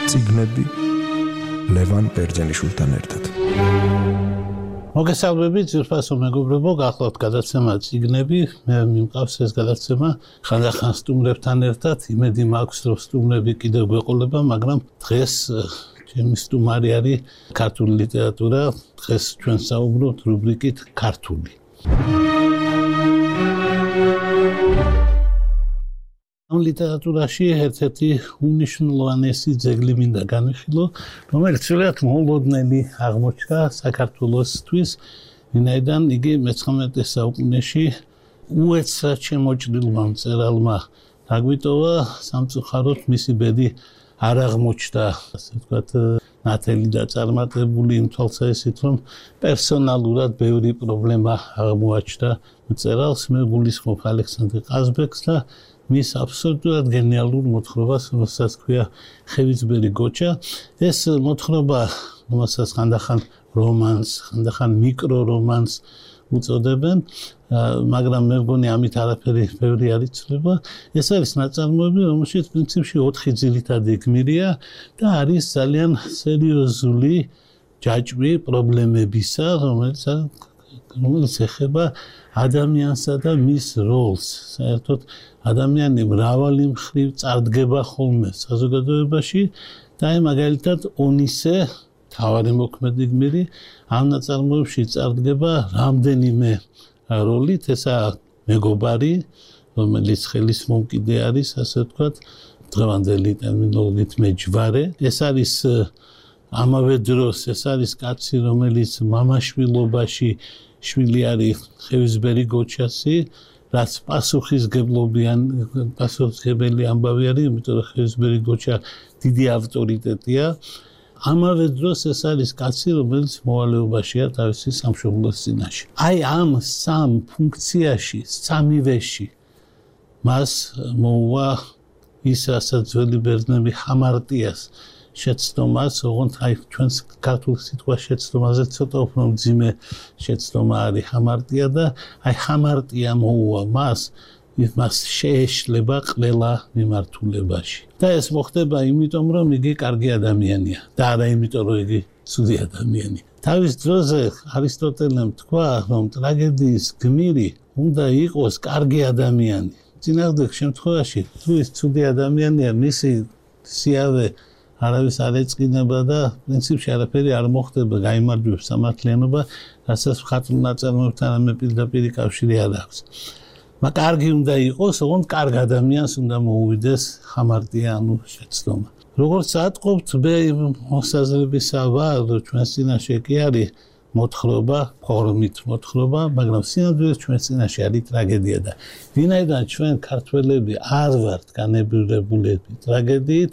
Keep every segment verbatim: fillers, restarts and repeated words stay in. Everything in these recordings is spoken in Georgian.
წიგნები ლევან ბერძენიშვილთან ერთად. მოგესალმებით, ძვირფასო მეგობრებო, გახლავთ გადაცემა წიგნები. მე მიმყავს ეს გადაცემა ხანდახან სტუმრებთან ერთად. იმედი მაქვს, რომ სტუმრები კიდევ გვეყოლება, მაგრამ დღეს ჩემი სტუმარი არის ქართული ლიტერატურა. დღეს ჩვენ საუბრობთ რუბრიკით ქართული. ამ ლიტერატურაში ერთ-ერთი უმნიშვნელოვანესი ძეგლი მინდა განვიხილო, რომელიც ცუდად მოულოდნელი აღმოჩნდა საქართველოსთვის, ვინაიდან იგი მეცხრამეტე საუკუნეში უეცრად შემოჭრილმა მწერალმა დაგვიტოვა, სამწუხაროდ მისი ბედი არ აღმოჩნდა, ასე ვთქვათ, ნათელი და წარმატებული იმ თვალსაზრისით, რომ პერსონალურად ბევრი პრობლემა აღმოაჩნდა მწერალს. მე გულისხმობ ალექსანდრე ყაზბეგს და მის აბსოლუტურად გენიალურ მოთხრობას, რომელსაც ქვია ხევიძბერი გოჩა. ეს მოთხრობა, რომელსაც ხანდახან რომანს, ხანდახან მიკრორომანს უწოდებენ, მაგრამ მე მგონი ამით არაფერი ბევრი არ იცვლება. ეს არის ნაწარმოები, რომელშიც პრინციპში ოთხი ძირითადი გმირია და არის ძალიან სერიოზული ჯაჭვი პრობლემებისა, რომელიც რომელიც ეხება ადამიანსა და მის როლს. საერთოდ ადამიანი მრავალი მხრივ წარდგება ხოლმე საზოგადოებაში და აი მაგალითად ონისე, თავარი მოქმედი გმირი, ამ ნაწარმოებში წარდგება რამდენიმე როლით. ესაა მეგობარი, რომელიც ხელის მომკიდე არის, ასე ვთქვათ, დღევანდელი ტერმინოლოგიით მეჯვარე. ეს არის ამავე დროს, ეს არის კაცი, რომელიც მამაშვილობაში შვილი არის ხევიძბერი გოჩასი, რაც პასუხისგებლობიან, პასუხისგებელი ამბავი არის, იმიტომ რომ ხევიძბერი გოჩა დიდი ავტორიტეტია. ამავე დროს ეს არის კაცი, რომელიც მოვალეობაშია თავისი სამშობლოს წინაშე. აი ამ სამ ფუნქციაში, სამივეში მას მოუვა ის, რასაც ძველი ბერძნები ჰამარტიას შეცდომას, ოღონდ აი ჩვენს ქართულ სიტყვა შეცდომაზე ცოტა უფრო მძიმე შეცდომა არის ჰამარტია და აი ჰამარტია მოუვა მას, მას შეეშლება ყველა მიმართულებაში. და ეს მოხდება იმიტომ, რომ იგი კარგი ადამიანია და არა იმიტომ, რომ იგი ცუდი ადამიანია. თავის დროზე არისტოტელემ თქვა, რომ ტრაგედიის გმირი უნდა იყოს კარგი ადამიანი. წინააღმდეგ შემთხვევაში, თუ ის ცუდი ადამიანია, მისი სიავე არავის არ ეწყინება და პრინციპში არაფერი არ მოხდება, გაიმარჯვებს სამართლიანობა, რასაც მხატვრულ ნაწარმოებთან ამე პირდაპირი კავშირი არ აქვს. მაგრამ კარგი უნდა იყოს, ოღონდ კარგ ადამიანს უნდა მოუვიდეს ჰამარტია, ანუ შეცდომა. როგორც ატყობთ, მე მოსაზრებისა ვარ, რომ ჩვენს წინაშე კი არის მოთხრობა, ფორმით მოთხრობა, მაგრამ სინამდვილეს ჩვენს წინაშე არის ტრაგედია და ვინაიდან ჩვენ ქართველები არ ვართ განებირებულები ტრაგედიით,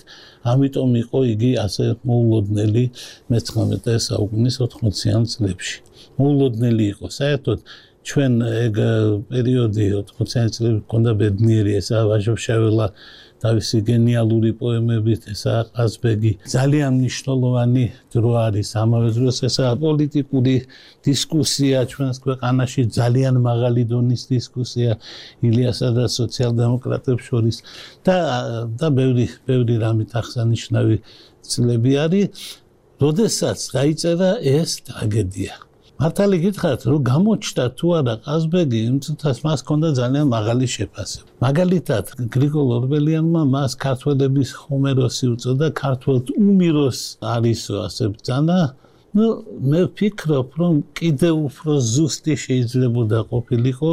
ამიტომ იყო იგი ასე მოულოდნელი მეცხრამეტე საუკუნის ოთხმოციან წლებში. მოულოდნელი იყო, საერთოდ ჩვენ ეგ პერიოდი ოთხმოციანი წლები ჰქონდა ბედნიერი, ესაა ვაჟა-ფშაველა თავისი გენიალური პოემებით, ესაა ყაზბეგი. ძალიან მნიშვნელოვანი დრო არის, ამავე დროს ესაა პოლიტიკური დისკუსია ჩვენს ქვეყანაში, ძალიან მაღალი დონის დისკუსია ილიასა და სოციალ-დემოკრატებს შორის და და ბევრი ბევრი რამით აღსანიშნავი წლები არის, როდესაც დაიწერა ეს ტრაგედია. მართალი გითხრათ, რომ გამოჩნდა თუ არა ყაზბეგი, იმ წუთას მას ჰქონდა ძალიან მაღალი შეფასება. მაგალითად, გრიგოლ ორბელიანმა მას ქართველების ჰომეროსი უწოდა, ქართველთ უმიროს არისო, ასე ბრძანა. ნუ მე ვფიქრობ, რომ კიდევ უფრო ზუსტი შეიძლებოდა ყოფილიყო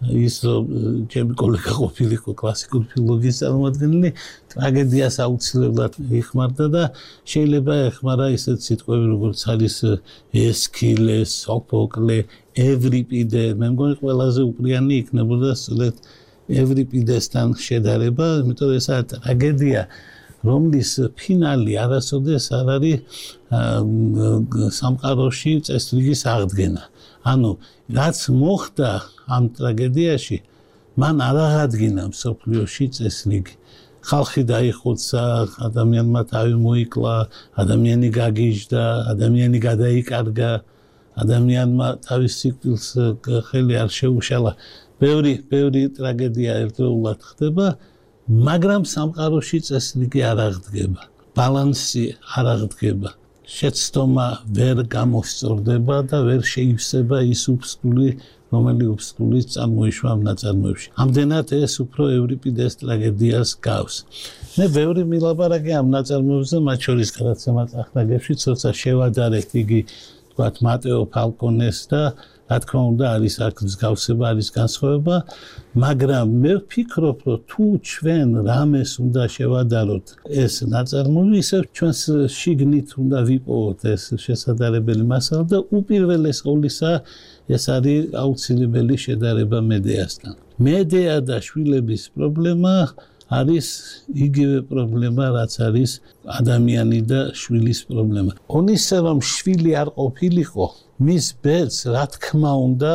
ის, რომ ჩემი კოლეგა ყოფილიყო კლასიკური ფილოლოგიის წარმომადგენელი, ტრაგედიას აუცილებლად იხმარდა და შეიძლება ეხმარა ისეთ სიტყვები, როგორც არის ესქილე, სოფოკლე, ევრიპიდე. მე მგონი ყველაზე უპრიანი იქნებოდა სწორედ ევრიპიდესთან შედარება, იმიტომ რომ ეს არის ტრაგედია, რომლის ფინალი არასოდეს არ არის სამყაროში წესრიგის აღდგენა. ანუ რაც მოხდა ამ ტრაგედიაში, მან არ აღადგინა მსოფლიოში წესრიგი. ხალხი დაიხოცა, ადამიანმა თავი მოიკლა, ადამიანი გაგიჟდა, ადამიანი გადაიკარგა, ადამიანმა თავის სიკვდილს ხელი არ შეუშალა. ბევრი, ბევრი ტრაგედია ერთდროულად ხდება, მაგრამ სამყაროში წესრიგი არ აღდგება. ბალანსი არ აღდგება. შეცდომა ვერ გამოსწორდება და ვერ შეივსება ის უფსკული, რომელიც უფსკულის წარმოიშვა ამ ნაწარმოებში. ამდენად ეს უფრო ევრიპიდეს ტრაგედიას გავს. მე ბევრი მილაპარაკე ამ ნაწარმოებზე, მათ შორის გადაცემა წახნაგებში, ცოტა შევადარეთ იგი, თქვათ, მატეო ფალკონეს და რა თქმა უნდა არის აქ მსგავსება, არის განსხვავება, მაგრამ მე ვფიქრობ, რომ თუ ჩვენ რამეს უნდა შევადაროთ ეს ნაწარმოები, ისევ ჩვენს შიგნით უნდა ვიპოვოთ ეს შესაძლებელი მასალა და უპირველეს ყოვლისა ეს არის აუცილებელი შედარება მედეასთან. მედეა და შვილების პრობლემა არის იგივე პრობლემა, რაც არის ადამიანი და შვილის პრობლემა. ონისე რომ შვილი არ ყოფილიყო, მის ბედს რა თქმა უნდა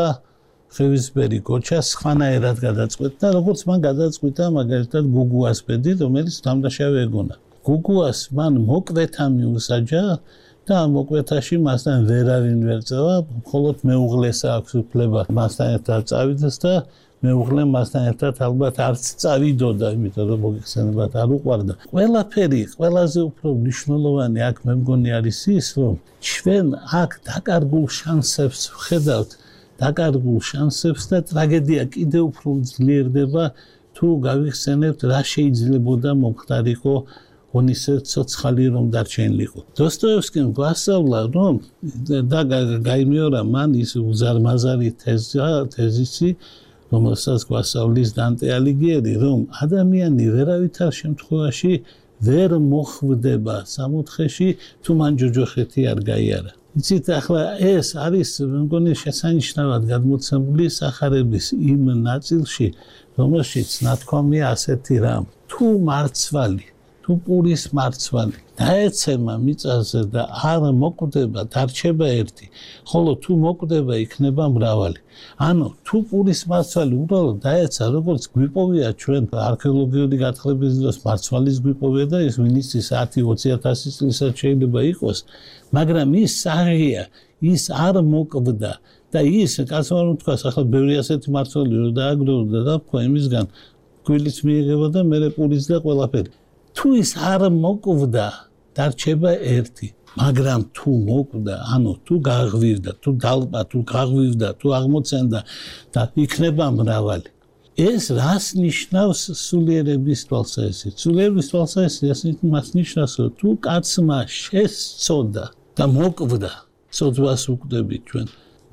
ხევისბერი გოჩა სხვანაირად გადაწყვეტდა, როგორც მან გადაწყვიტა მაგალითად გუგუას ბედი, რომელიც დამდაშავე ეგონა. გუგუას მან მოკვეთა მიუსაჯა და ამ მოკვეთაში მასთან ვერავინ ვერ წავა, მხოლოდ მეუღლეს აქვს უფლება მასთან ერთად წავიდეს და მეუღლე მასთან ერთად ალბათ არც წავიდოდა, იმიტომ რომ მოგეხსენებათ არ უყვარდა. ყველაფერი, ყველაზე უფრო მნიშვნელოვანი აქ მე მგონი არის ის, რომ ჩვენ აქ დაკარგულ შანსებს ვხედავთ, დაკარგულ შანსებს და ტრაგედია კიდევ უფრო ძლიერდება, თუ გავიხსენებთ რა შეიძლებოდა მომხდარიყო ონისე ცოცხალი რომ დარჩენილიყო. დოსტოევსკიმ გვასწავლა, რომ და გაიმეორა მან ის უზარმაზარი თეზისი, რომელსაც გვასწავლის დანტე ალიგიერი, რომ ადამიანი ვერავითარ შემთხვევაში ვერ მოხვდება სამოთხეში, თუ მან ჯოჯოხეთი არ გაიარა. იცით, ახლა ეს არის, მე მგონი, შესანიშნავად გადმოცემული სახარების იმ ნაწილში, რომელშიც ნათქვამია ასეთი რამ. თუ მარცვალი, თუ პურის მარცვალი დაეცემა მიწაზე და არ მოკვდება, დარჩება ერთი, ხოლო თუ მოკვდება, იქნება მრავალი. ანუ თუ პურის მარცვალი უბრალოდ დაეცა, როგორც გვიპოვია ჩვენ არქეოლოგიური გათხრების დროს მარცვალის გვიპოვია და ის ვინც ის ათი ოცი ათასი წლისაც შეიძლება იყოს, მაგრამ ის საღია, ის არ მოკვდა და ის, კაცმა რომ თქვას, ახლა ბევრი ასეთი მარცვალი რომ დააგროვდა და თქვა იმისგან გვილიც მიიღება და მერე პურის და ყველაფერი. თუ ის არ მოკვდა, დარჩება ერთი. მაგრამ თუ მოკვდა, ანუ თუ გაღვივდა, თუ დალპა, თუ გაღვივდა, თუ აღმოცენდა და იქნება მრავალი. ეს რას ნიშნავს სულიერების თვალსაზრისით? სულიერების თვალსაზრისით მას ნიშნავს, რომ თუ კაცმა შესწოდა და მოკვდა, ცოდვას ვუკვდებით ჩვენ.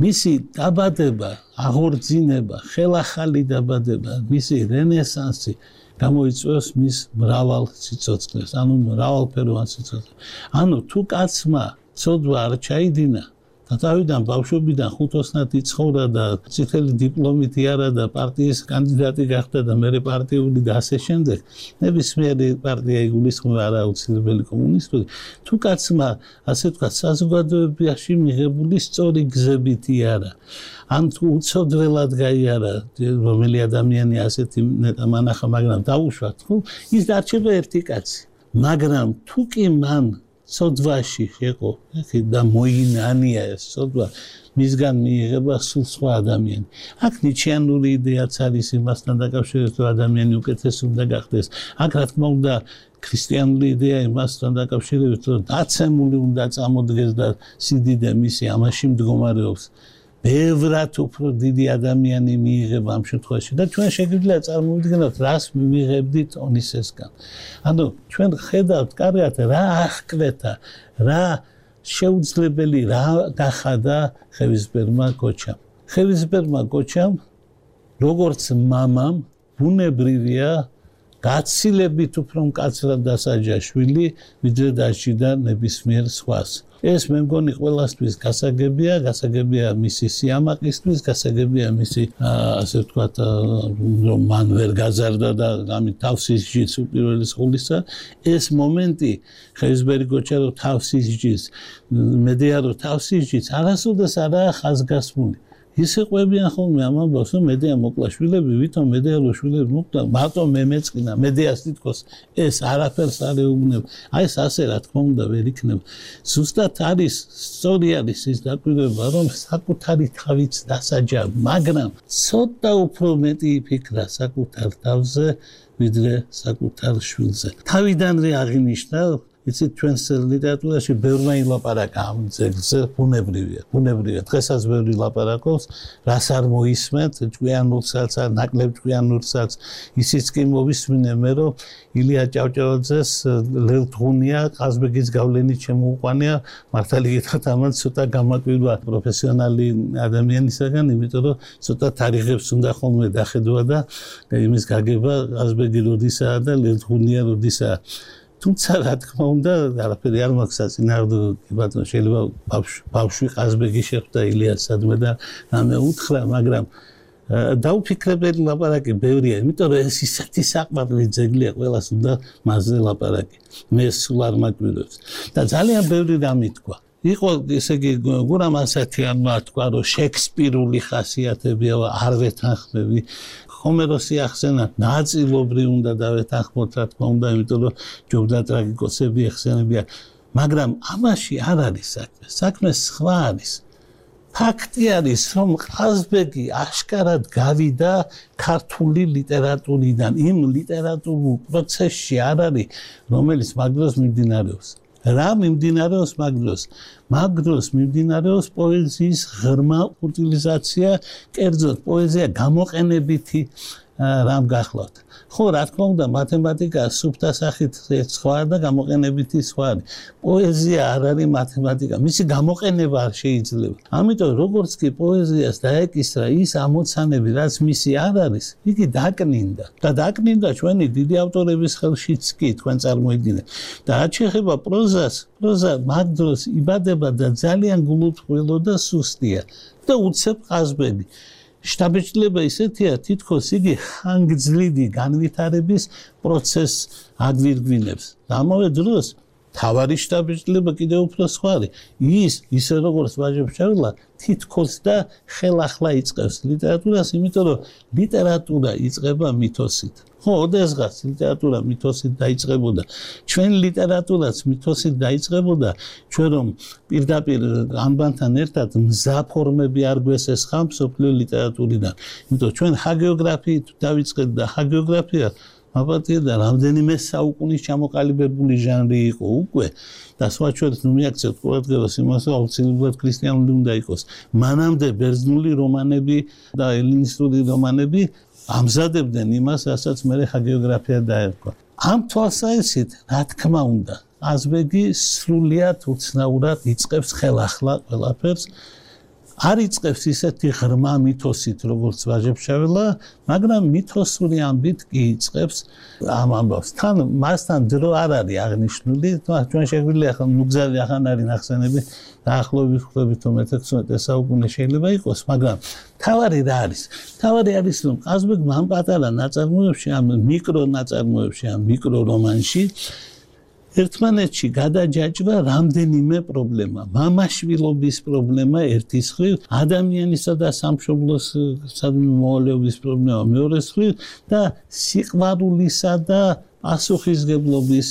მისი დაბადება, აღორძინება, ხელახალი დაბადება, მისი რენესანსი გამოიწვევს მის მრავალ სიცოცხლეს, ანუ მრავალფეროვან სიცოცხლეს. ანუ თუ კაცმა ცოდვა არ ჩაიდინა და თავიდან ბავშვობიდან ხუთოსნად იცხოვრა და წითელი დიპლომით იარა და პარტიის კანდიდატი გახდა და მერე პარტიული და ასე შემდეგ, ნებისმიერი პარტია იგულისხმება არა აუცილებელი კომუნისტური. თუ კაცმა, ასე ვთქვათ, საზოგადოებაში მიღებული სწორი გზებით იარა, ან თუ უცოდველად გაიარა, რომელი ადამიანი ასეთი მანახა, მაგრამ დაუშვათ, ხო, ის დარჩება ერთი კაცი. მაგრამ თუ კი მან ცოდვაში შეყო და მოინანია ეს ცოდვა, მისგან მიიღება სულ სხვა ადამიანი. აქ ნიჩიანური იდეაც არის იმასთან დაკავშირებით, რომ ადამიანი უკეთესი უნდა გახდეს. აქ რა თქმა უნდა ქრისტიანული იდეა იმასთან დაკავშირებით, რომ დაცემული უნდა წამოდგეს და სიდიდე მისი ამაში მდგომარეობს. ბევრად უფრო დიდი ადამიანი მიიღება ამ შემთხვევაში და ჩვენ შეგვიძლია წარმოვიდგინოთ, რას მივიღებდით ონისესგან. ანუ ჩვენ ხედავთ კარგად რა აღკვეთა, რა შეუძლებელი რა გახადა ხევისბერმა გოჩამ. ხევისბერმა გოჩამ, როგორც მამამ, ბუნებრივია გაცილებით უფრო მკაცრად დასაჯა შვილი, ვიდრე დაჭირდა ნებისმიერ სხვას. ეს მე მგონი ყველასთვის გასაგებია, გასაგებია მისი სიამაყისთვის, გასაგებია მისი, ასე ვთქვათ, რომ მან ვერ გაზარდა და ამით თავს ისჯის უპირველეს ყოვლისა. ეს მომენტი ხევისბერი გოჩა რომ თავს ისჯის, მედეა რომ თავს ისჯის, არასოდეს არაა ხაზგასმული. ისე ყვებიან ხოლმე ამ ამბავს, რომ მედეა მოკლა შვილები, ვითომ მედეა რო შვილები მოკლა, მარტო მე მეწყინა, მედეას თითქოს ეს არაფერს არ ეუბნება. აი ეს ასე რა თქმა უნდა ვერ იქნება. ზუსტად არის, სწორი არის ის დაკვირვება, რომ საკუთარი თავიც დასაჯა, მაგრამ ცოტა უფრო მეტი იფიქრა საკუთარ თავზე, ვიდრე საკუთარ შვილზე. თავიდანვე აღინიშნა იცით ჩვენს ლიტერატურაში ბევრმა ილაპარაკა ამ ძეგლზე, ბუნებრივია, ბუნებრივია. დღესაც ბევრი ლაპარაკობს, რას არ მოისმენთ, ჭკვიანურსაც, ნაკლებ ჭკვიანურსაც, ისიც კი მოვისმინე მე, რომ ილია ჭავჭავაძეს ლელთღუნია ყაზბეგის გავლენით შემოუყვანია, მართალი გითხრათ, ამან ცოტა გამაკვირვა პროფესიონალი ადამიანისაგან, იმიტომ რომ ცოტა თარიღებს უნდა ხოლმე დახედვა და იმის გაგება ყაზბეგი როდისაა და ლელთღუნია როდისაა. თუმცა რა თქმა უნდა, არაფერი არ მაქვს საწინააღმდეგო, კი ბატონო, შეიძლება ბავშვი ყაზბეგი შეხვდა ილიას სადმე და რამე უთხრა, მაგრამ დაუფიქრებელი ლაპარაკი ბევრია, იმიტომ რომ ეს ისეთი საყვარელი ძეგლია, ყველას უნდა მასზე ლაპარაკი. მე სულ არ მაკვირვებს. და ძალიან ბევრი რამ ითქვა. იყო ესე იგი გურამ ასათიანმა თქვა, რომ შექსპირული ხასიათებია, არ ვეთანხმები. ჰომეროსი ახსენა, ნაწილობრივ უნდა დავეთანხმოთ, რა თქმა უნდა, იმიტომ რომ ჯობდა ტრაგიკოსები ეხსენებიან, მაგრამ ამაში არ არის საქმე. საქმე სხვა არის. ფაქტი არის, რომ ყაზბეგი აშკარად გავიდა ქართული ლიტერატურიდან, იმ ლიტერატურულ პროცესში არ არის, რომელიც მაგ დროს მიმდინარეობს. რა მიმდინარეობს მაგ დროს? მაგ დროს მიმდინარეობს პოეზიის ღრმა უტილიზაცია, კერძოდ პოეზია გამოყენებითი რამ გახლავთ. ხო, რა თქმა უნდა, მათემატიკა სუფთა სახით სხვა და გამოყენებითი სხვა არის. პოეზია არ არის მათემატიკა, მისი გამოყენება არ შეიძლება. ამიტომ როგორც კი პოეზიას დაეკისრა ის ამოცანები, რაც მისი არ არის, იგი დაკნინდა. და დაკნინდა ჩვენი დიდი ავტორების ხელშიც კი, თქვენ წარმოიდგინეთ. და რაც შეეხება პროზას, პროზა მაგ დროს იბადება და ძალიან გულუწყვილო და სუსტია. და უცებ ყაზბეგი. შთაბეჭდილება ისეთია, თითქოს იგი ხანგრძლივი განვითარების პროცესს აგვირგვინებს. ამავე დროს თავარი შთაბეჭდილება კიდევ უფრო სხვა არის. ის, ისე როგორც ვაჟებშევილა, თითქოს და ხელახლა იწყებს ლიტერატურას, იმიტომ რომ ლიტერატურა იწყება მითოსით. ხო, ოდესღაც ლიტერატურა მითოსით დაიწყებოდა. ჩვენ ლიტერატურაც მითოსით დაიწყებოდა, ჩვენ რომ პირდაპირ ამბანთან ერთად მზაფორმები არ გვესესხა მსოფლიო ლიტერატურიდან. იმიტომ ჩვენ ჰაგიოგრაფიით დავიწყეთ და ჰაგიოგრაფია აბატია და რამდენიმე საუკუნის ჩამოყალიბებული ჟანრი იყო უკვე და სხვა შორის ნუ მიაქცევთ ყურადღებას იმას, რომ აუცილებლად ქრისტიანული უნდა იყოს. მანამდე ბერძნული რომანები და ელინისტური რომანები ამზადებდნენ იმას, რასაც მე ჰაგიოგრაფია დაერქვა. ამ თვალსაზრისით, რა თქმა უნდა, ყაზბეგი სრულიად უცნაურად იწყებს ხელახლა ყველაფერს. არ იწყებს ისეთი ღრმა მითოსით, როგორც ვაჟებშევილა, მაგრამ მითოსური ამბით კი იწყებს ამ ამბავს. თან მასთან დრო არ არის აღნიშნული, ჩვენ შეგვიძლია ახლა ნუგზარი ახან არის ნახსენები, დაახლოებით ხვდებით რომ მეთექვსმეტე საუკუნე შეიძლება იყოს, მაგრამ თავარი რა არის? თავარი არის, რომ ყაზბეგმა ამ პატარა ნაწარმოებში, ამ მიკრო ნაწარმოებში, ამ მიკრო რომანში ერთმანეთში გადაჯაჭვა რამდენიმე პრობლემა. მამაშვილობის პრობლემა ერთის მხრივ, ადამიანისა და სამშობლოს მოვალეობის პრობლემა მეორეს მხრივ და სიყვარულისა და პასუხისგებლობის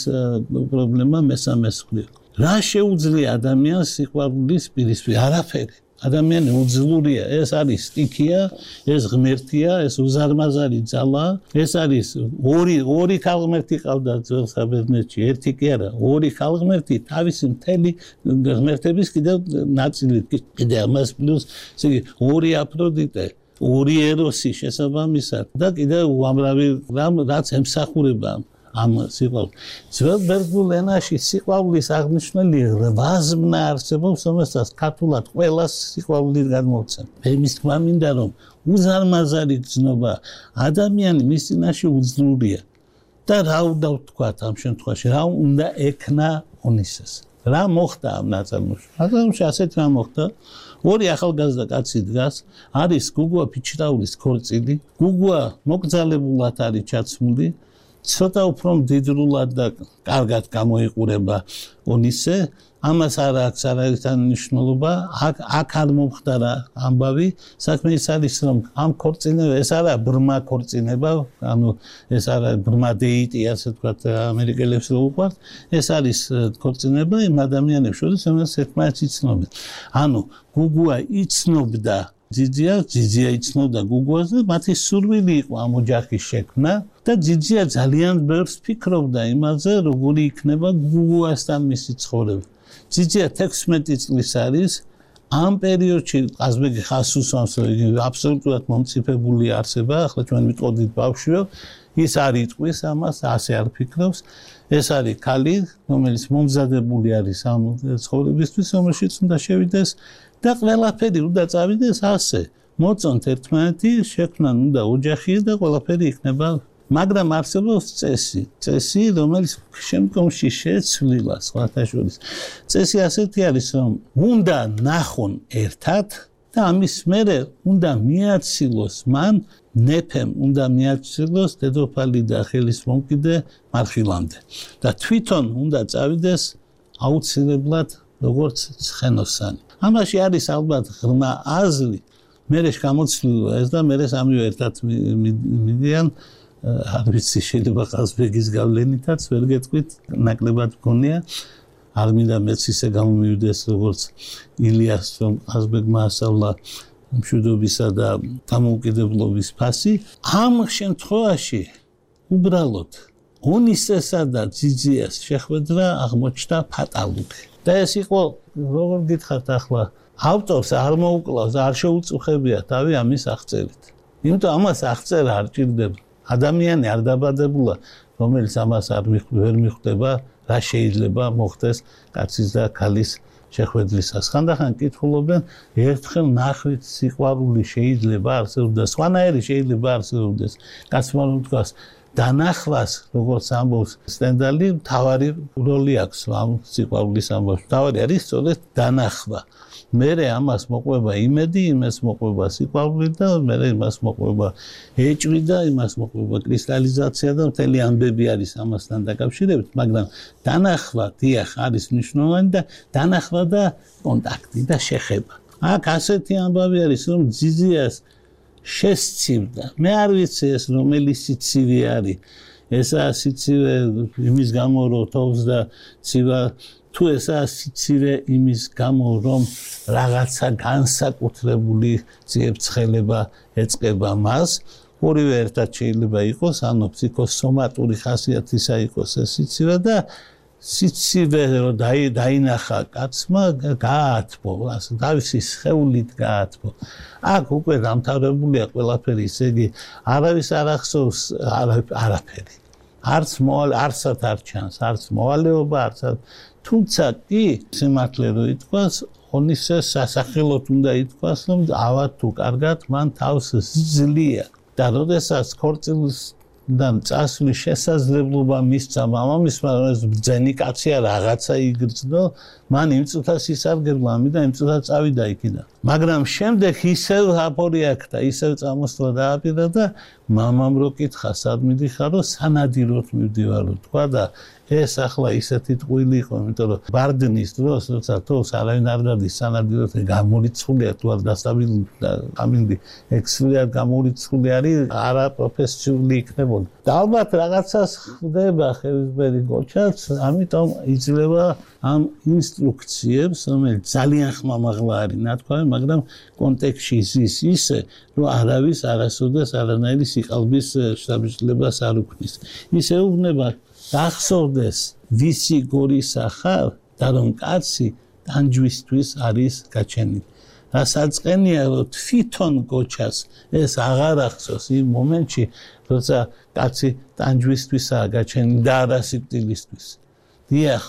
პრობლემა მესამეს მხრივ. რა შეუძლია ადამიანს სიყვარულის პირისპირ? არაფერი. ადამიანი უძლურია, ეს არის სტიქია, ეს ღმერთია, ეს უზარმაზარი ძალა, ეს არის ორი ორი ქალღმერთი ყავდა ძველ საბერძნეთში, ერთი კი არა, ორი ქალღმერთი, თავისი მთელი ღმერთების კიდევ ნაწილი, კიდევ ამას პლუს, ესე იგი ორი აფროდიტე, ორი ეროსი შესაბამისად და კიდევ უამრავი რამ რაც ემსახურება ამ სიყვარულს. ძველ ბერძნულ ენაში სიყვარულის აღნიშნული რვაზმნა არსებობს, რომელსაც ქართულად ყველას სიყვარული გადმოვცემ. იმის თქმა მინდა, რომ უზარმაზარი გრძნობა ადამიანი მის წინაშე უძლურია. და რა უნდა ვთქვათ ამ შემთხვევაში, რა უნდა ექნა ონისეს. რა მოხდა ამ ნაწარმოებში? ნაწარმოებში ასეთი რამ მოხდა. ორი ახალგაზრდა კაცი დგას, არის გუგუა ფიჩრაულის ქორწილი, გუგუა მოკძალებულად არის ჩაცმული, ცოტა უფრო მდიდრულად და კარგად გამოიყურება ონისე, ამას არ აქვს არაერთი მნიშვნელობა, აქ აქ არ მომხდარა ამბავი, საქმე ის არის, რომ ამ ქორწინება, ეს არა ბრმა ქორწინება, ანუ ეს არა ბრმა დეიტი, ასე ვთქვათ, ამერიკელებს რო უყვართ, ეს არის ქორწინება იმ ადამიანებს შორის, რომელსაც ერთმანეთს იცნობენ. ანუ გუგუა იცნობდა ძიძიას, ძიძია იცნობდა გუგუას და მათი სურვილი იყო ამ ოჯახის შექმნა. და ძიძია ძალიან ბევრს ფიქრობდა იმაზე, როგორი იქნება გუგუასთან მისი ცხოვრება. ძიძია თექვსმეტი წლის არის, ამ პერიოდში ყაზბეგი ხაზს უსვამს, რომ იგი აბსოლუტურად მომწიფებული არსება, ახლა ჩვენ ვიტყოდით ბავშვიო, ის არ იტყვის ამას, ასე არ ფიქრობს. ეს არის ქალი, რომელიც მომზადებული არის ამ ცხოვრებისთვის, რომელშიც უნდა შევიდეს და ყველაფერი უნდა წავიდეს ასე. მოწონთ ერთმანეთი, შექმნან უნდა ოჯახი და ყველაფერი იქნება, მაგრამ არსებობს წესი, წესი, რომელიც შემდგომში შეცვლილა სხვათა შორის. წესი ასეთი არის, რომ უნდა ნახონ ერთად და ამის მერე უნდა მიაცილოს მან ნეფემ უნდა მიაცილოს დედოფალი და ხელის მომკიდე მარხილამდე და თვითონ უნდა წავიდეს აუცილებლად როგორც ცხენოსანი. ამაში არის ალბათ ღრმა აზრი, მერე გამოცვლილო ეს და მერე სამივე ერთად მიდიან, არ ვიცი შეიძლება ყაზბეგის გავლენითაც ვერ გეტყვით, ნაკლებად მგონია. არ მინდა მეც ისე გამომივიდეს როგორც ილიას, რომ ყაზბეგმა ასწავლა მშვიდობისა და დამოუკიდებლობის ფასი. ამ შემთხვევაში უბრალოდ ონისესა და ძიძიას შეხვედრა აღმოჩნდა ფატალური. და ეს იყო, როგორ გითხართ ახლა, ავტორს არ მოუკლავს, არ შეუწუხებია თავი ამის აღწერით. იმიტომ ამას აღწერა არ ჭირდება. ადამიანი არ დაბადებულა, რომელიც ამას არ ვერ მიხვდება, რა შეიძლება მოხდეს კაცის და ქალის შეხვედრისას. ხანდახან კითხულობენ, ერთხელ ნახვით სიყვარული შეიძლება არსებობდეს, სხვანაირი შეიძლება არსებობდეს. კაცმა რომ თქვას, დანახვას, როგორც ამბობს სტენდალი, მთავარი როლი აქვს ამ სიყვარულის ამბავში. მთავარი არის სწორედ დანახვა. მერე ამას მოყვება იმედი, იმას მოყვება სიყვარული და მერე იმას მოყვება ეჭვი და იმას მოყვება კრისტალიზაცია და მთელი ამბები არის ამასთან დაკავშირებით, მაგრამ დანახვა დიახ არის მნიშვნელოვანი და დანახვა და კონტაქტი და შეხება. აქ ასეთი ამბავი არის, რომ ძიძიას შესცივდა. მე არ ვიცი ეს რომელი სიცივე არის. ესაა სიცივე იმის გამო, რომ თოვს და ცივა თუ ესაა სიცივე იმის გამო, რომ რაღაცა განსაკუთრებული ციებ-ცხელება ეწყება მას, ორივე ერთად შეიძლება იყოს, ანუ ფსიქოსომატური ხასიათისა იყოს ეს სიცივე და სიცივე რომ დაინახა კაცმა გაათბო, ასე თავისი სხეულით გაათბო. აქ უკვე დამთავრებულია ყველაფერი, ისე იგი არავის არ ახსოვს არაფერი. არც არსად არ ჩანს, არც მოვალეობა, არც თუმცა კი სიმართლე რო ითქვას, ონისეს სასახელოდ უნდა ითქვას, რომ ავა თუ კარგად მან თავს ძლია და როდესაც ქორწილიდან წასვლის შესაძლებლობა მისცა მამამისმა, რომ ეს ბრძენი კაცია რაღაცა იგრძნო, მან იმ წუთას ისარგებლა ამიდან, იმ წუთას წავიდა იქიდან. მაგრამ შემდეგ ისევ აპორიაქდა, ისევ წამოსვლა დააპირა და მამამ რო კითხა, სად მიდიხარო, სანადიროდ მივდივარო, თქვა და ეს ახლა ისეთი ტყუილი იყო, იმიტომ რომ ბარდნის დროს, როცა თავს არავინ არ დადის სანადიროდ გამორიცხულია, თუ არ დასაბილი და ამინდი ექსლიად გამორიცხული არის, არა პროფესიული იქნებოდა. და ალბათ რაღაცას ხდება ხელისბერი გოჩაც, ამიტომ იძლევა ამ ინსტრუქციებს, რომელიც ძალიან ხმამაღლა არის ნათქვამი, მაგრამ კონტექსტში ზის ისე, რომ არავის არასოდეს არანაირი სიყალბის შთაბეჭდილებას არ უქმნის. ისე უუბნება გახსოვდეს ვისი გორისა ხარ და რომ კაცი ტანჯვისთვის არის გაჩენილი. რასაც-ყენია რომ თვითონ გოჩას ეს აღარ ახსოვს იმ მომენტში, როცა კაცი ტანჯვისთვისაა გაჩენილი და არა სიკვდილისთვის. დიახ,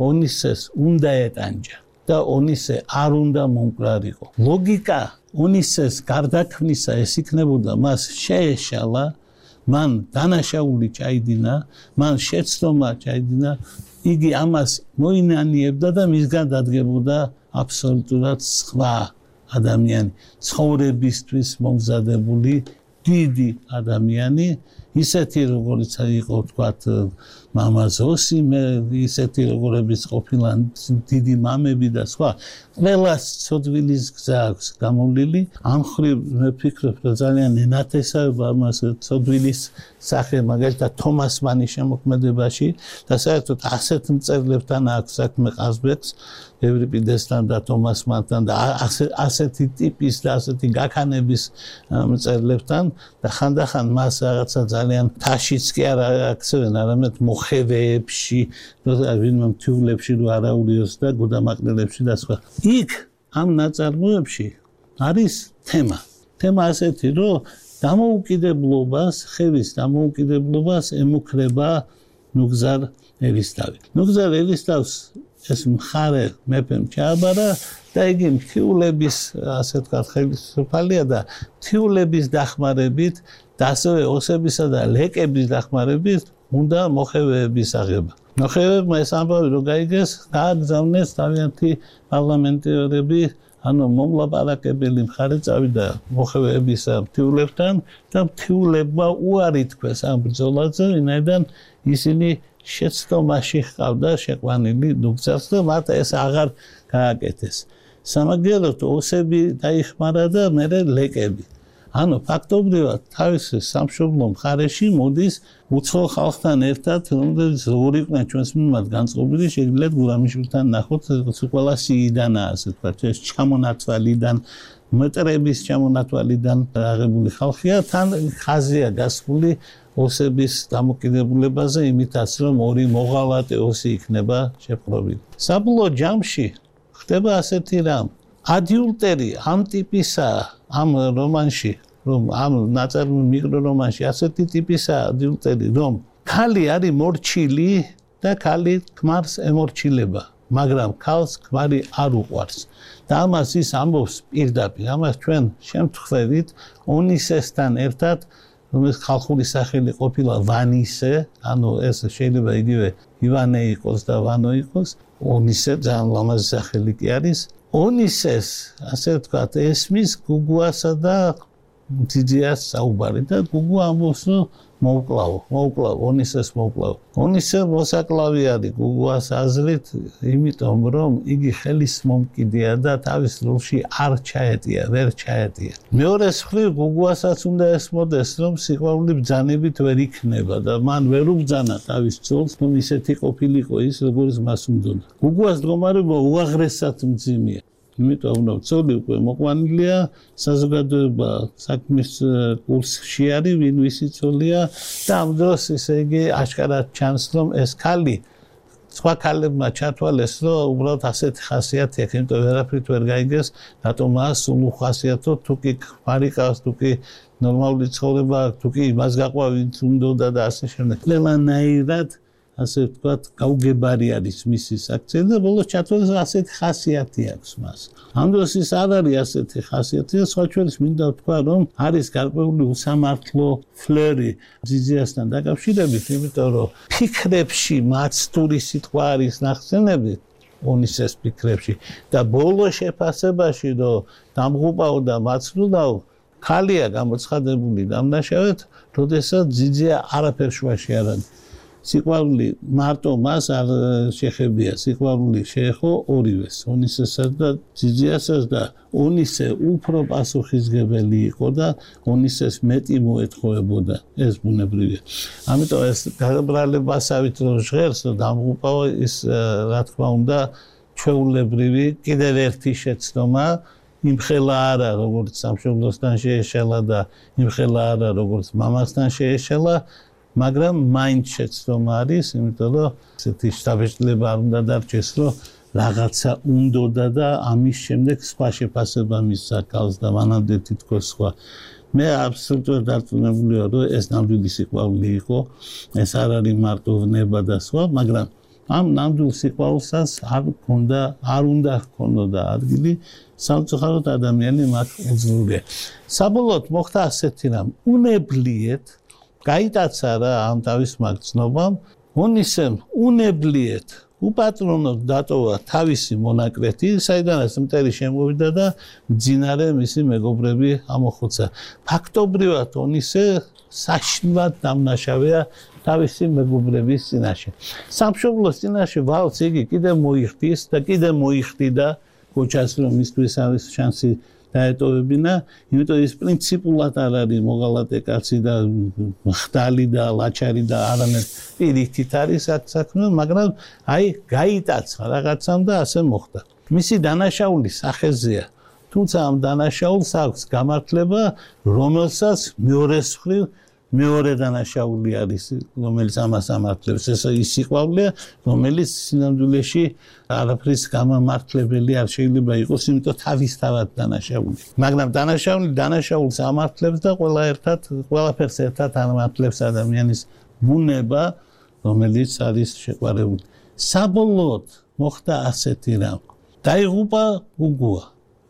ონისეს უნდა ეტანჯა და ონისე არ უნდა მომკრარიყო. ლოგიკა ონისეს გარდაქმნისა ეს იქნებოდა მას შეეშალა, მან დანაშაული ჩაიდინა, მან შეცდომა ჩაიდინა, იგი ამას მოინანიებდა და მისგან დადგებოდა აბსოლუტურად სხვა ადამიანი, ცხოვრებისთვის მომზადებული დიდი ადამიანი, ისეთი როგორიც იყო თქვათ მამა ზოსიმე, ისეთი როგორებიც ყოფილან დიდი მამები და სხვა. ყველას ცოდვილის გზა აქვს გამოვლილი. ამ ხრივ მე ვფიქრობ, რომ ძალიან ენათესავება ამას ცოდვილის სახე, მაგალითად თომას მანის შემოქმედებაში და საერთოდ ასეთ მწერლებთან აქვს საქმე ყაზბეგს, ევრიპიდესთან და თომას მანთან და ასეთი ტიპის და ასეთი გაქანების მწერლებთან და ხანდახან მას რაღაცა ძალიან თაშიც კი არ აქცევენ, არამედ მოხევეებში, ვინმე მთიულებში რო არაურიოს და გუდამაყრელებში და სხვა. იქ ამ ნაწარმოებში არის თემა. თემა ასეთი, რომ დამოუკიდებლობას, ხევის დამოუკიდებლობას ემუქრება ნუგზარ ერისთავი. ნუგზარ ერისთავს ეს მხარე მეფემ ჩააბარა და იგი მთიულების, ასე ვთქვათ, ხელისუფალია და მთიულების დახმარებით და ასევე ოსებისა და ლეკების დახმარებით უნდა მოხევეების აღება. მოხევეებმა ეს ამბავი რო გაიგეს, გააგზავნეს თავიანთი პარლამენტარები, ანუ მომლაპარაკებელი მხარე წავიდა მოხევეების მთიულებთან და მთიულებმა უარი თქვეს ამ ბრძოლაზე, ვინაიდან ისინი შეცდომაში ჰყავდა შეყვანილი ნუგზარს და მათ ეს აღარ გააკეთეს. სამაგიეროდ ოსები დაიხმარა და მერე ლეკები. ანუ ფაქტობრივად თავისი სამშობლო მხარეში მოდის უცხო ხალხთან ერთად, რომლებიც როგორ იყვნენ ჩვენს მიმართ განწყობილი, შეგიძლიათ გურამიშვილთან ნახოთ, ყველა სიიდანაა, ასე ვთქვათ, ეს ჩამონათვალიდან, მეტრების ჩამონათვალიდან აღებული ხალხია, თან ხაზია გასული ოსების დამოკიდებულებაზე, იმითაც რომ ორი მოღალატე ოსი იქნება შეპყრობილი. საბოლოო ჯამში ხდება ასეთი რამ. ადიულტერი ამ ტიპისაა ამ რომანში, რომ ამ ნაწარმოებრივ მიკრორომანში ასეთი ტიპისაა ადიულტერი, რომ ქალი არის მორჩილი და ქალი ქმარს ემორჩილება, მაგრამ ქალს ქმარი არ უყვარს. და ამას ის ამბობს პირდაპირ, ამას ჩვენ შემთხვევით ონისესთან ერთად, რომელიც ხალხური სახელი ყოფილა ვანისე, ანუ ეს შეიძლება იგივე ივანე იყოს და ვანო იყოს, ონისე ძალიან ლამაზი სახელი კი არის. ონისეს, ასე ვთქვათ, ესმის გუგუასა და ძიძიას საუბარი და გუგუ ამბობს, რომ მოვკლავო, მოვკლავო, ონისეს მოვკლავო. ონისე მოსაკლავი არის გუგუას აზრით, იმიტომ რომ იგი ხელის მომკიდეა და თავის როლში არ ჩაეტია, ვერ ჩაეტია. მეორეს მხრივ გუგუასაც უნდა ესმოდეს, რომ სიყვარული ბრძანებით ვერ იქნება და მან ვერ უბრძანა თავის ძოლს, რომ ისეთი ყოფილიყო ის, როგორც მას უნდოდა. გუგუას მდგომარეობა უაღრესად მძიმეა. იმიტომ რომ ძოლი უკვე მოყვანილია, საზოგადოება საქმის კურსში არის, ვინ ვისი ძოლია და ამ დროს ისე იგი აშკარად ჩანს, რომ ეს ქალი სხვა ქალებმა ჩათვალეს, რომ უბრალოდ ასეთი ხასიათი აქვს, იმიტომ ვერაფრით ვერ გაიგეს, რატომაა სულ უხასიათო, თუ კი ქმარი ყავს, თუ კი ნორმალური ცხოვრება აქვს, თუ კი იმას გაყვა, ვინც უნდოდა და ასე შემდეგ. ყველანაირად ასე ვთქვათ, გაუგებარი არის მისი საქციე და ბოლოს ჩათვალეს ასეთი ხასიათი აქვს მას. ამ დროს ის არ არის ასეთი ხასიათი და სხვა ჩვენს მინდა ვთქვა, რომ არის გარკვეული უსამართლო ფლერი ძიძიასთან დაკავშირებით, იმიტომ რომ ფიქრებში მაცდური სიტყვა არის ნახსენები ონისეს ფიქრებში და ბოლო შეფასებაში, რომ დამღუპაო და მაცდულაო, ქალია გამოცხადებული დამნაშავედ, როდესაც ძიძია არაფერ შუაში არ არის. სიყვარული მარტო მას არ შეხებია, სიყვარული შეეხო ორივეს, ონისესაც და ძიძიასაც და ონისე უფრო პასუხისმგებელი იყო და ონისეს მეტი მოეთხოვებოდა, ეს ბუნებრივია. ამიტომ ეს გაბრალებასავით რომ ჟღერს, რომ დამღუპაო ის რა თქმა უნდა ჩვეულებრივი კიდევ ერთი შეცდომა, იმხელა არა, როგორც სამშობლოსთან შეეშალა და იმხელა არა, როგორც მამასთან შეეშალა, მაგრამ მაინც შეცდომა არის, იმიტომ რომ ესეთი შთაბეჭდილება არ უნდა დარჩეს, რომ რაღაცა უნდოდა და ამის შემდეგ სხვა შეფასება მისცა ქალს და მანამდე თითქოს სხვა. მე აბსოლუტურად დარწმუნებული ვარ, რომ ეს ნამდვილი სიყვარული იყო, ეს არ არის მარტო ვნება და სხვა, მაგრამ ამ ნამდვილ სიყვარულსაც არ ქონდა, არ უნდა ჰქონოდა ადგილი, სამწუხაროდ ადამიანი მათ უძლურია. საბოლოოდ მოხდა ასეთი რამ, უნებლიეთ გაიტაცა რა ამ თავის მაგცნობამ, ონისემ უნებლიეთ უპატრონოდ დატოვა თავისი მონაკვეთი, საიდანაც მტერი შემოვიდა და მძინარე მისი მეგობრები ამოხოცა. ფაქტობრივად ონისე საშინლად დამნაშავეა თავისი მეგობრების წინაშე. სამშობლოს წინაშე ვალს იგი კიდევ მოიხდის და კიდევ მოიხდიდა ქოჩას, რომ მისთვის არის შანსი დაეტოვებინა, იმიტომ ის პრინციპულად არ არის მოღალატე კაცი და ხდალი და ლაჩარი და არამედ პირიქით არის აქ საქმე, მაგრამ აი გაიტაცა რაღაცამ და ასე მოხდა. მისი დანაშაული სახეზეა, თუმცა ამ დანაშაულს აქვს გამართლება, რომელსაც მეორეს მხრივ მეორე დანაშაული არის, რომელიც ამას ამართლებს, ეს ის სიყვარულია, რომელიც სინამდვილეში არაფრის გამამართლებელი არ შეიძლება იყოს, იმიტომ თავისთავად დანაშაული. მაგრამ დანაშაული დანაშაულს ამართლებს და ყველა ერთად, ყველაფერს ერთად ამართლებს ადამიანის ბუნება, რომელიც არის შეყვარებული. საბოლოოდ მოხდა ასეთი რამ. დაიღუპა გუგუა.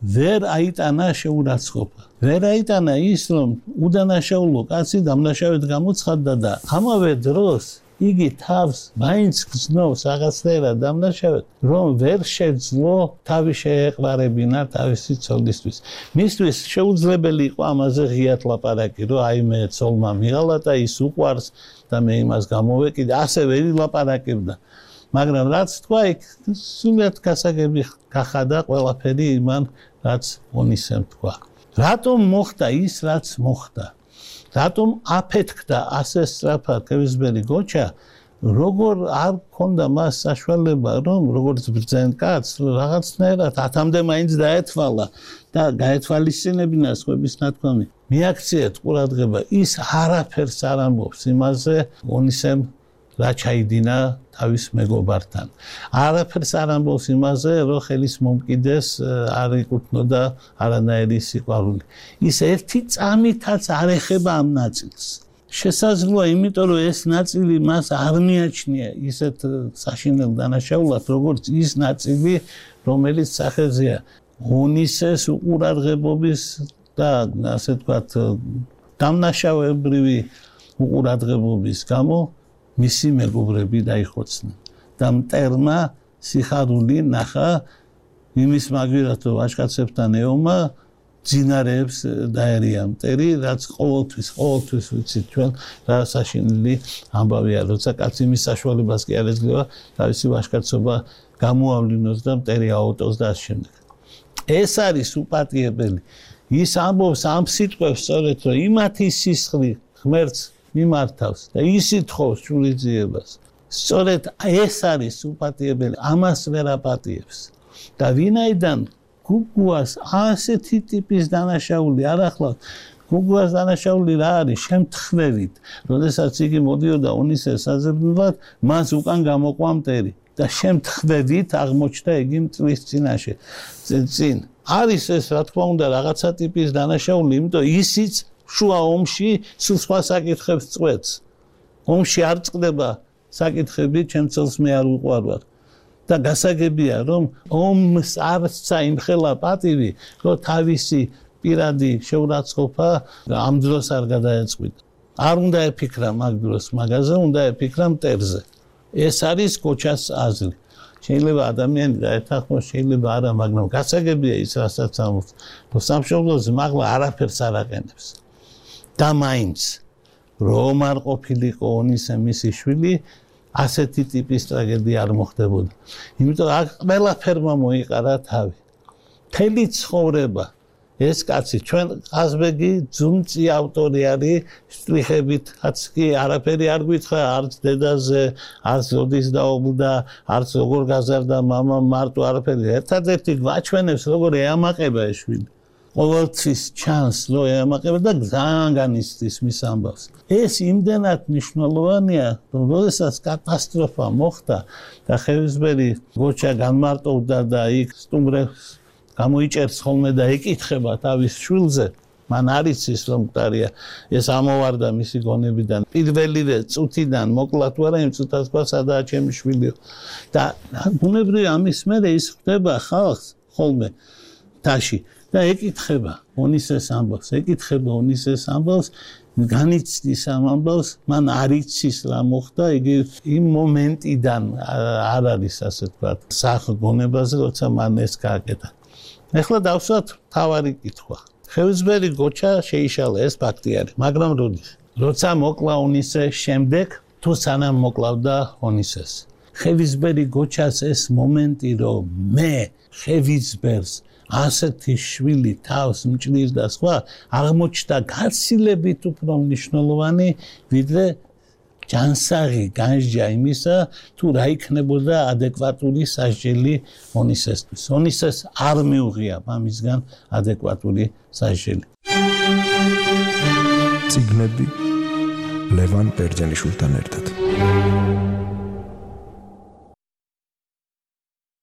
ვერ აიტანა შეურაცხყოფა. ვერ აიტანა ის, რომ უდანაშაულო კაცი დამნაშავედ გამოცხადდა და ამავე დროს იგი თავს მაინც გრძნობს რაღაცნაირად დამნაშავედ, რომ ვერ შეძლო თავი შეეყვარებინა თავისი ცოლისთვის. მისთვის შეუძლებელი იყო ამაზე ღიად ლაპარაკი, რომ აი მე ცოლმა მიღალა და ის უყვარს და მე იმას გამოვეკიდე, ასე ვერ ილაპარაკებდა. მაგრამ რაც თქვა, იქ სულად გასაგები გახადა ყველაფერი იმან, რაც ონისემ თქვა. რატომ მოხდა ის, რაც მოხდა? რატომ აფეთქდა ასე სწრაფად კევისბერი გოჩა, როგორ არ ქონდა მას საშუალება, რომ როგორც ბრძენ კაცს, რაღაცნაირად ათამდე მაინც დაეთვალა და გაეთვალისწინებინა სხვების ნათქვამი. მიაქციეთ ყურადღება, ის არაფერს არ ამბობს იმაზე, ონისემ რა ჩაიდინა თავის მეგობართან. არაფერს არ ამბობს იმაზე, რომ ხელის მომკიდეს არ იკუთვნოდა არანაირი სიყვარული. ის ერთი წამითაც არ ეხება ამ ნაწილს. შესაძლოა, იმიტომ რომ ეს ნაწილი მას არ მიაჩნია ისეთ საშინელ დანაშაულად, როგორც ის ნაწილი, რომელიც სახეზეა ონისეს უყურადღებობის და ასე ვთქვათ, დამნაშავებრივი უყურადღებობის გამო მისი მეგობრები დაიხოცნენ და მტერმა სიხარული ნახა იმის მაგვილად, რომ ვაჟკაცებთან ეომა ძინარეებს დაერია მტერი, რაც ყოველთვის, ყოველთვის ვიცით ჩვენ რა საშინელი ამბავია, როცა კაცი იმის საშუალებას კი არ ეძლევა თავისი ვაჟკაცობა გამოავლინოს და მტერი აუტოს და ამ შემდეგ. ეს არის უპატიებელი. ის ამბობს ამ სიტყვებს სწორედ, რომ იმათი სისხლი ღმერთს მიმართავს და ისიც თხოვს შურიძიებას. სწორედ ეს არის უპატიებელი, ამას ვერ აპატიებს. და ვინაიდან გუგუას ასეთი ტიპის დანაშაული არ ახლავს, გუგუას დანაშაული რა არის? შემთხვევით, როდესაც იგი მოდიოდა ონისეს საზრდებლად, მას უკან გამოყვა მტერი და შემთხვევით აღმოჩნდა იგი მტრის წინაშე. წინ არის ეს, რა თქმა უნდა, რაღაცა ტიპის დანაშაული, იმიტომ ისიც შუა ომში სულ სხვა საკითხებს წყვეტს. ომში არ წდება საკითხები, ჩემ წელს მე არ უყვარვარ. და გასაგებია, რომ ომს არცა იმხელა პატივი, რომ თავისი პირადი შეურაცხყოფა ამ დროს არ გადაეწყვიტა. არ უნდა ეფიქრა მაგ დროს მაგაზე, უნდა ეფიქრა მტერზე. ეს არის გოჩას აზრი. შეიძლება ადამიანი დაეთანხმოს, შეიძლება არა, მაგრამ გასაგებია ის, რასაც ამბობს, რომ სამშობლოზე მაღლა არაფერს არ აყენებს. და მაინც რომ არ ყოფილიყო ონისე მისი შვილი, ასეთი ტიპის ტრაგედია არ მოხდებოდა. იმიტომ აქ ყველაფერმა მოიყარა თავი. მთელი ცხოვრება ეს კაცი, ჩვენ ყაზბეგი ძუნწი ავტორი არის, შტრიხებითაც კი არაფერი არ გვითხრა, არც დედაზე, არც როდის დაობლდა, არც როგორ გაზარდა მამა, მარტო არაფერი. ერთადერთი გვაჩვენებს, როგორ ეამაყება ეს შვილი. ყოველთვის ჩანს, რომ ეამაყება და ძალიან განიცდის მის ამბავს. ეს იმდენად მნიშვნელოვანია, რომ როდესაც კატასტროფა მოხდა და ხევისბერი გოჩა განმარტოვდა და იქ სტუმრებს გამოიჭერს ხოლმე და ეკითხება თავის შვილზე, მან არ იცის რომ მკვდარია, ეს ამოვარდა მისი გონებიდან. პირველივე წუთიდან მოკლა თუ არა, იმ წუთას თქვა სადაა ჩემი შვილი. და ბუნებრივია ამის მერე ის ხდება ხალხს ხოლმე თაში. და ეკითხება ონისეს ამბავს, ეკითხება ონისეს ამბავს, განიცდის ამ ამბავს, მან არ იცის რა მოხდა, იგი იმ მომენტიდან არ არის ასე ვთქვათ, საღონებაზე, როცა მან ეს გააკეთა. ეხლა დავსვათ თავარი კითხვა. ხევისბერი გოჩა შეიშალა, ეს ფაქტი არის, მაგრამ როდის? როცა მოკლა ონისე შემდეგ, თუ სანამ მოკლავდა ონისეს. ხევისბერი გოჩას ეს მომენტი, რომ მე ხევისბერს ასეთი შვილი თავს მჭირს და სხვა, აღმოჩნდა გაცილებით უფრო მნიშვნელოვანი, ვიდრე ჯანსაღი განსჯა იმისა, თუ რა იქნებოდა ადეკვატური სასჯელი ონისესთვის. ონისეს არ მიუღია მამისგან ადეკვატური სასჯელი. წიგნები ლევან ბერძენიშვილთან ერთად.